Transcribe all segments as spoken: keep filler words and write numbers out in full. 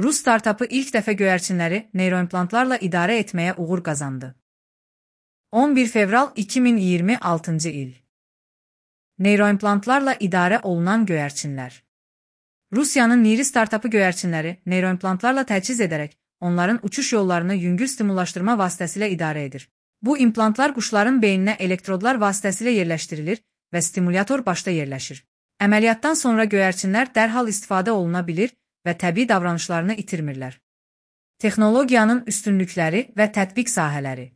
Rus startapı ilk dəfə göyərçinləri neyroimplantlarla idarə etməyə uğur qazandı. on bir fevral iki min iyirmi altıncı il. Neyroimplantlarla idarə olunan göyərçinlər. Rusiyanın Niri startapı göyərçinləri neyroimplantlarla təchiz edərək onların uçuş yollarını yüngül stimullaşdırma vasitəsilə idarə edir. Bu implantlar quşların beyninə elektrodlar vasitəsilə yerləşdirilir və stimulyator başda yerləşir. Əməliyyatdan sonra göyərçinlər dərhal istifadə oluna bilir və təbii davranışlarını itirmirlər. Texnologiyanın üstünlükləri və tətbiq sahələri.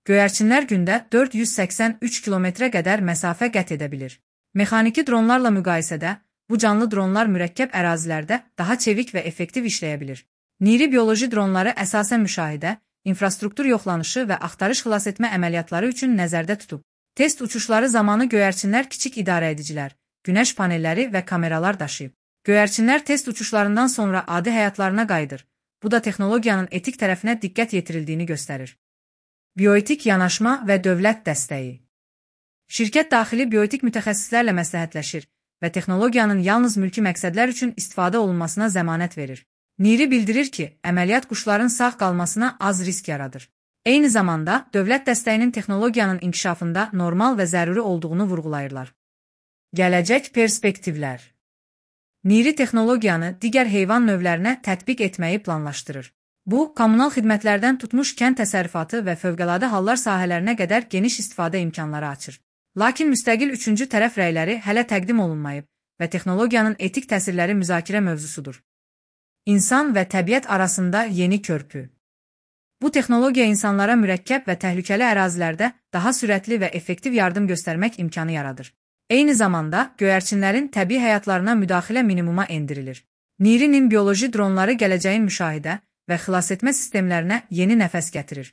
Göyərçinlər gündə dörd yüz səksən üç kilometrə qədər məsafə qət edə bilir. Mexaniki dronlarla müqayisədə bu canlı dronlar mürəkkəb ərazilərdə daha çevik və effektiv işləyə bilir. Niri bioloji dronları əsasən müşahidə, infrastruktur yoxlanışı və axtarış xilasetmə əməliyyatları üçün nəzərdə tutub. Test uçuşları zamanı göyərçinlər kiçik idarəedicilər, günəş panelləri və kameralar daşıyıb. Göyərçinlər test uçuşlarından sonra adi həyatlarına qayıdır. Bu da texnologiyanın etik tərəfinə diqqət yetirildiyini göstərir. Bioetik yanaşma və dövlət dəstəyi. Şirkət daxili bioetik mütəxəssislərlə məsləhətləşir və texnologiyanın yalnız mülki məqsədlər üçün istifadə olunmasına zəmanət verir. Niri bildirir ki, əməliyyat quşların sağ qalmasına az risk yaradır. Eyni zamanda, dövlət dəstəyinin texnologiyanın inkişafında normal və zəruri olduğunu vurğulayırlar. Gələcək perspektivlər. Niri texnologiyanı digər heyvan növlərinə tətbiq etməyi planlaşdırır. Bu, kommunal xidmətlərdən tutmuş kənd təsərrüfatı və fövqəladə hallar sahələrinə qədər geniş istifadə imkanları açır. Lakin müstəqil üçüncü tərəf rəyləri hələ təqdim olunmayıb və texnologiyanın etik təsirləri müzakirə mövzusudur. İnsan və təbiət arasında yeni körpü. Bu texnologiya insanlara mürəkkəb və təhlükəli ərazilərdə daha sürətli və effektiv yardım göstərmək imkanı yaradır. Eyni zamanda, göyərçinlərin təbii həyatlarına müdaxilə minimuma endirilir. Nirinin bioloji dronları gələcəyin müşahidə və xilasetmə sistemlərinə yeni nəfəs gətirir.